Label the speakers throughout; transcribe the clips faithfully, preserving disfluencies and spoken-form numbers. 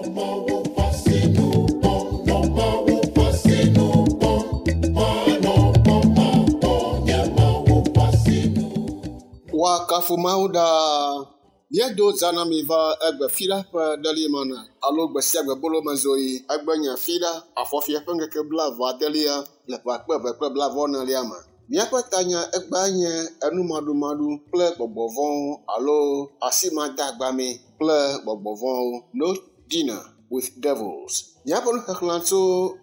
Speaker 1: Woakafu Mawu ɖaa. Míedo zã na mi va egbe fiɖa ƒe ɖelimana alo gbe sia gbe bolomezoɣi. Egbe nye fiɖa afɔfia ƒe ŋkeke blaeve adelia le ƒe akpe eve kple blaeve enelia me. Míaƒe tanya egbea nye enumaɖumaɖu kple gbɔgbɔ vɔ̃wo alo asimadeagbame kple gbɔgbɔ vɔ̃wo. No dinner with devils. Míaƒe nuxexlẽ tso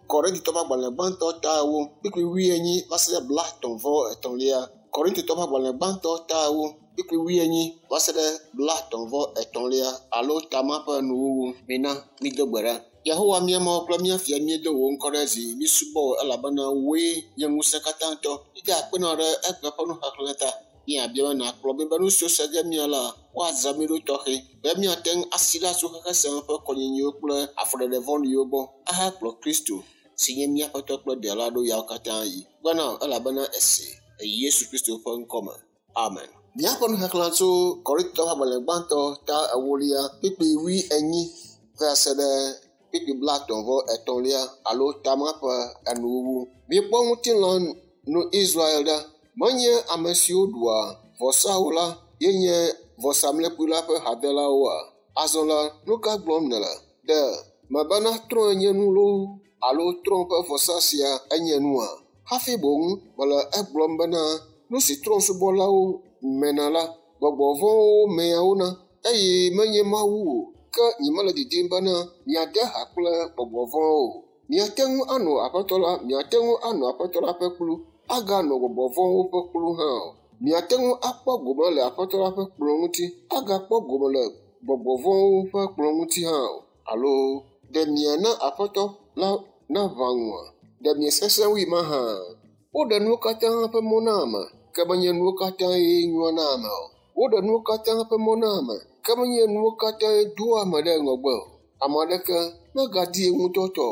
Speaker 1: Korintitɔwo ƒe agbalẽ gbãtɔ ta ewo kpukpui wuienyi va se ɖe blaetɔ̃ vɔ etɔ̃lia. Korintitɔwo ƒe agbalẽ gbãtɔ ta ewo kpukpui wuienyi va se ɖe blaetɔ̃ vɔ etɔ̃lia alo tama ƒe nuwuwu. Mina mído gbe ɖa. Yehowa mía Mawu kple mía Fia míedo wò ŋkɔ ɖe dzi, mísubɔ wò elabena wòe nye ŋusẽkatãtɔ. Mída akpe na wò ɖe egbe ƒe nuxexlẽ ta. Míabia be nàkplɔ mí be nu siwo se ge mía la, woazã mí ɖo tɔxɛ be míate ŋu asi ɖa tso xexe sia me ƒe kɔnyinyiwo kple afɔɖeɖe vɔ̃ɖiwo gbɔ ahakplɔ Kristo si nye mía Aƒetɔ kple Ɖela ɖo yawo katã yi. Gbe na wò elabena ese le Yesu Kristo ƒe ŋkɔme. Amen. Míaƒe nuxexlẽ tso Korintitɔwo ƒe agbalẽ gbãtɔ ta ewolia kpukpui wuienyi va se ɖe kpukpui blaetɔ̃ vɔ etɔ̃lia alo tama ƒe enuwuwu. Mikpɔ ŋutilã nu Israel ɖa. Menye ame siwo ɖua vɔsawo la ye nye vɔsamlekpui la ƒe hadelawoa? Azɔ la, nu ka gblɔm nèle? Ɖe mebena trɔ̃e nye nu loo alo trɔ̃ ƒe vɔsa sia enye nua? Hafi boŋ mele egblɔm bena nu si trɔ̃subɔlawo mena la, gbɔgbɔ vɔ̃wo mea wo na eye menye Mawu o. Ke nyemele didim bena miade ha kple gbɔgbɔ vɔ̃wo o. Miate ŋu anɔ Aƒetɔ la, miate ŋu anɔ Aƒetɔ la ƒe kplu, aganɔ gbɔgbɔ vɔ̃wo ƒe kplu hã o. Miate ŋu akpɔ gome le Aƒetɔ la ƒe kplɔ̃ ŋuti, agakpɔ gome le gbɔgbɔ vɔ̃wo ƒe kplɔ̃ ŋuti hã o. Alo ɖe miana Aƒetɔ la naʋã ŋua? Ɖe miesesẽ wui mahã? Woɖe nuwo katã ƒe mɔ na ame, ke menye nuwo katãe nyoa na ame o. Woɖe nuwo katã ƒe mɔ na ame, ke menye nuwo katãe doa ame ɖe ŋgɔgbe o. Ame aɖeke megadi ŋutɔ tɔ o,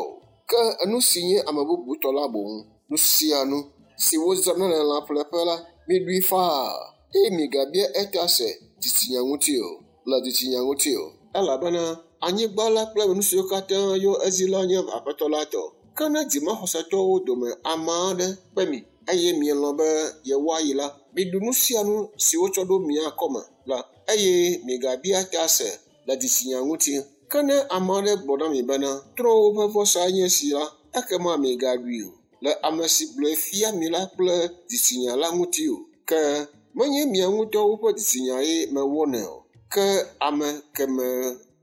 Speaker 1: ke nu si nye ame bubu tɔ la boŋ. Nu sia nu si wozãna le lãƒleƒe la, miɖui faa eye migabia eta se dzitsinya ŋuti o, le dzitsinya ŋuti o. Elabena anyigba la kple nu siwo katã yɔ edzi la nye Aƒetɔ la tɔ. Ke ne dzimaxɔsetɔwo dome ame aɖe kpe mi eye mielɔ̃ be yewoayi la, miɖu nu sia nu si wotsɔ ɖo mia akɔme la eye migabia ta se le dzitsinya ŋuti. Ke ne ame aɖe gblɔ na mi bena trɔ̃wo ƒe vɔsa nye esi la, ekema migaɖui o le ame si gblɔe fia mi la kple dzitsinya la ŋuti o. Ke menye mia ŋutɔwo ƒe dzitsinyae mewɔnɛ o, ke ame keme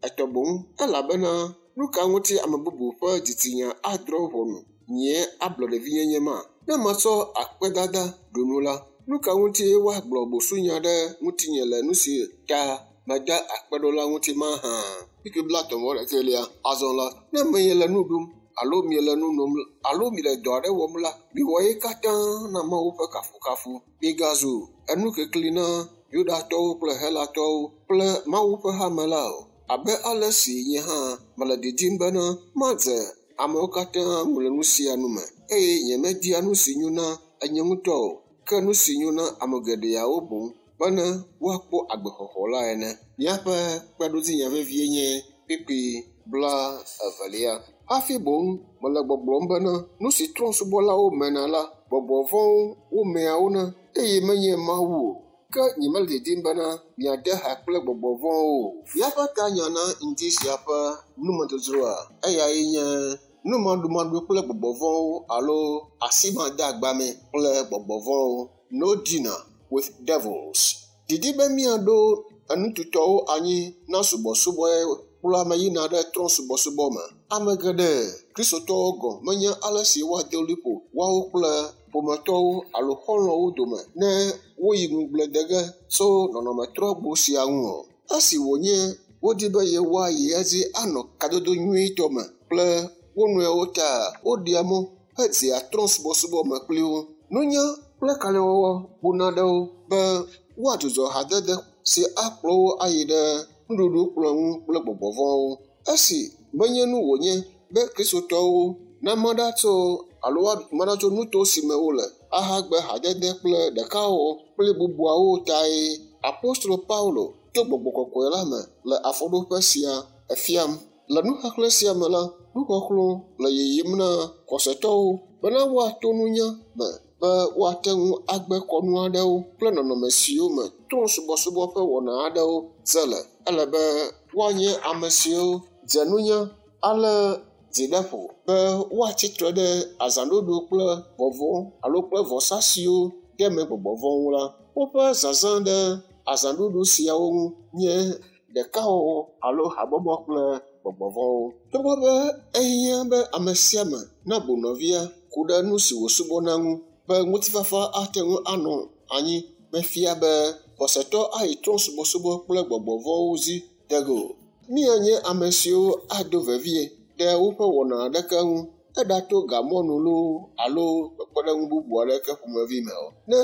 Speaker 1: etɔ boŋ. Elabena nu ka ŋuti ame bubu ƒe dzitsinya adrɔ̃ ʋɔnu nye ablɔɖevinyenye ma? Ne metsɔ akpedada ɖu nu la, nu ka ŋuti woagblɔ busunya ɖe ŋutinye le nu si ta meda akpe ɖo la ŋuti mahã? Kpukpui blaetɔ̃ vɔ ɖekɛlia. Azɔ la, ne miele nu ɖum alo miele nu nom alo miele dɔ aɖe wɔm la, miwɔ ye katã na Mawu ƒe kafukafu. Migazu enukekli na Yudatɔwo kple Helatɔwo kple Mawu ƒe hame la o. Abe ale si nye hã mele didim bena madze amewo katã ŋu le nu sia nu me eye nyemedia nu si nyo na enye ŋutɔ o, ke nu si nyo na ame geɖeawo boŋ bene woakpɔ agbexɔxɔ la ene. Míaƒe kpeɖodzinya vevie nye kpukpui bla evelia. Hafi boŋ mele gbɔgblɔm bena nu si trɔ̃subɔlawo mena la, gbɔgbɔ vɔ̃wo womea wo na eye menye Mawu o. Ke nyemele didim bena miade ha kple gbɔgbɔ vɔ̃wo o. Míaƒe tanya na ŋdi sia ƒe numedzodzroa, eyae nye numaɖumaɖu kple gbɔgbɔ vɔ̃wo alo asimadeagbame kple gbɔgbɔ vɔ̃wo. No dinner with devils. Didi be míaɖo enututɔwo anyi na subɔsubɔe kplɔ ame yina ɖe trɔ̃subɔsubɔ me. Ame geɖe Kristotɔwo gɔ̃ menye ale si woade liƒo woawo kple ƒometɔwo alo xɔlɔ̃wo dome ne woyi ŋugble de ge tso nɔnɔmetrɔgbo sia ŋu o. Esi wònye wodi be yewoayi edzi anɔ kadodo nyuitɔ me kple wo nɔewo ta woɖea mɔ hedzea trɔ̃subɔsubɔ me kpli wo. Nunya kple kalẽwɔwɔ buna ɖe wo be woadzudzɔ hadede si akplɔ wo ayi ɖe nuɖuɖukplɔ̃ ŋu kple gbɔgbɔ vɔ̃wo. Esi menye nu wònye be Kristotɔwo nama ɖa tso alo woama ɖa tso nuto si me wole ahagbe hadede kple ɖekawɔwɔ kple bubuawo tae Apostolo Paulo to gbɔgbɔ kɔkɔe la me le afɔɖoƒe sia efiam. Le nuxexlẽ sia me la, nuxɔxlɔ̃ le yiyim na xɔsetɔwo bena woato nunya me be woate ŋu agbe kɔnu aɖewo kple nɔnɔme siwo me trɔ̃subɔsubɔ ƒe wɔna aɖewo dze le. Ele be woanye ame siwo dze nunya alé dzi ɖe ƒo be woatsi tre ɖe azãɖuɖu kple vɔvɔ̃ alo kple vɔsa siwo de me gbɔgbɔ vɔ̃wo la. Woƒe zazã ɖe azãɖuɖu siawo ŋu nye ɖekawɔwɔ alo habɔbɔ kple gbɔgbɔ vɔ̃wo. Togbɔ be ehiã be ame sia ame nabu nɔvia ku ɖe nu si wòsubɔna ŋu be ŋutifafa ate ŋu anɔ anyi mefia be xɔsetɔ ayi trɔ̃subɔsubɔ kple gbɔgbɔ vɔ̃wo dzi de ge o. Míanye ame siwo ado vevie ɖe woƒe wɔna aɖeke ŋu eɖato gamɔnu loo alo kpekpeɖeŋu bubu aɖeke ƒomevi me o. Ne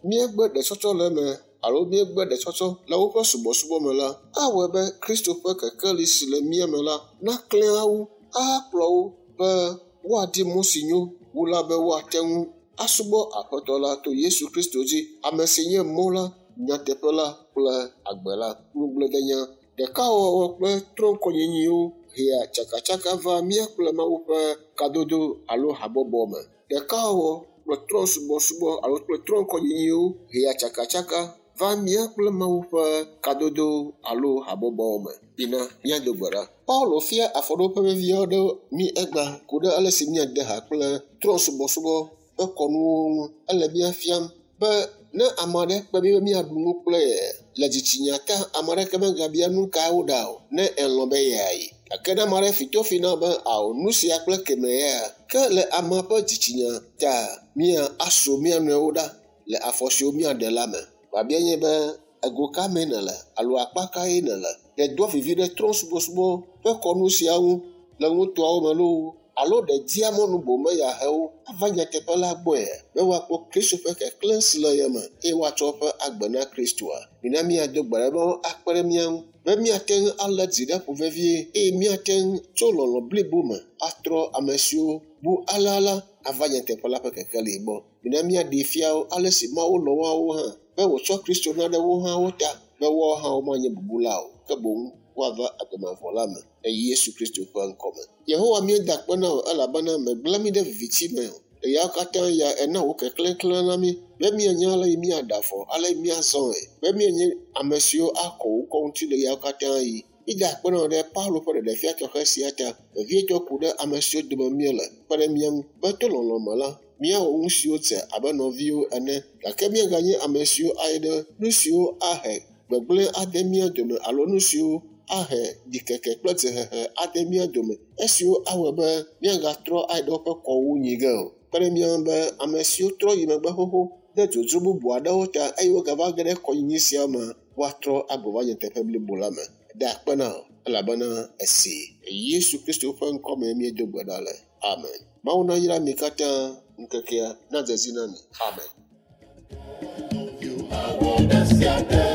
Speaker 1: míegbe ɖetsɔtsɔ le eme alo míegbe ɖetsɔtsɔ le woƒe subɔsubɔ me la, awɔe be Kristo ƒe kekeli si le mía me la naklẽ wo ahakplɔ wo be woadi mɔ si nyo wu la be woate ŋu asubɔ Aƒetɔ la to Yesu Kristo dzi, ame si nye mɔ la, nyateƒe la kple agbe la. Ŋugbledenya ɖekawɔwɔ kple trɔ̃kɔnyinyiwo hea tsakatsaka va mía kple Mawu ƒe kadodo alo habɔbɔ me. Ɖekawɔwɔ kple trɔ̃subɔsubɔ alo kple trɔ̃kɔnyinyiwo hea tsakatsaka va mía kple Mawu ƒe kadodo alo habɔbɔ me. Bina míado gbe ɖa. Paulo fia afɔɖoƒe vevi aɖewo mí egbea ku ɖe ale si míade ha kple trɔ̃subɔsubɔ ƒe kɔnuwo ŋu. Ele mía fiam be ne ame aɖe kpe mí be míaɖu nu kple ye le dzitsinya ta, ame aɖeke megabia nu ka woɖa o ne elɔ̃ be yeayi. Gake ne ame aɖe fi tofi na be ao nu sia kple keme ya, ke le amea ƒe dzitsinya ta mía aso mía nɔewo ɖa le afɔ siwo míaɖe la me. Biabia nye be ego ka mee nèle alo akpa kae nèle? Ɖe doa vivi ɖe trɔ̃subɔsubɔ ƒe kɔnu sia ŋu le nutoawo me loo alo ɖe dia mɔnu boŋ be yeahe wo ava nyateƒe la gbɔe be woakpɔ Kristo ƒe keklẽ si le ye me eye woatsɔ woƒe agbe na Kristoa. Mina míado gbe ɖa be akpe ɖe mía ŋu be míate ŋu alé dzi ɖe ƒo vevie eye míate ŋu tso lɔlɔ̃ blibo me atrɔ ame siwo bu alea la ava nyateƒe la ƒe kekeli gbɔ. Mina míaɖee fia wo ale si Mawu lɔ̃ woawo hã be wòtsɔ Kristo na ɖe wo hã wo ta be woawo hã womanye bubula o ke boŋ woava agbe mavɔ la me le Yesu Kristo ƒe ŋkɔme. Yehowa míeda akpe na wò elabena mègblẽ mí ɖe viviti me o. Le yawo katã ya ena wò keklẽ klẽ na mí be míanya ale yi míaɖe afɔ, ale yi míazɔe, be míanye ame siwo akɔ wò ŋkɔ ŋuti le yawo katã yi. Mída akpe na wò ɖe Paulo ƒe ɖeɖefia tɔxɛ sia ta, vevietɔ ku ɖe ame siwo dome míele kpe ɖe mía ŋu be to lɔlɔ̃ me la, míawɔ nu siwo dze abe nɔviwo ene gake míaganye ame siwo ayi ɖe nu siwo ahe gbegblẽ ade mía dome alo nu siwo ahe ɖikeke kple dzehehe ade mía dome esiwo awɔe be míagatrɔ ayi ɖe woƒe kɔwo nyi ge o. Kpe ɖe mía ŋu be ame siwo trɔ yi megbe xoxo ɖe dzodzro bubu aɖewo ta eye wogava ge ɖe kɔnyinyi sia me woatrɔ agbɔ va nyateƒe blibo la me. Da akpe na wò elabena esi Yesu Kristo ƒe ŋkɔme míedo gbe ɖa le. Amen. Mawu nayra mi katã ŋkekea nadze dzi na mi. Amen.
Speaker 2: You are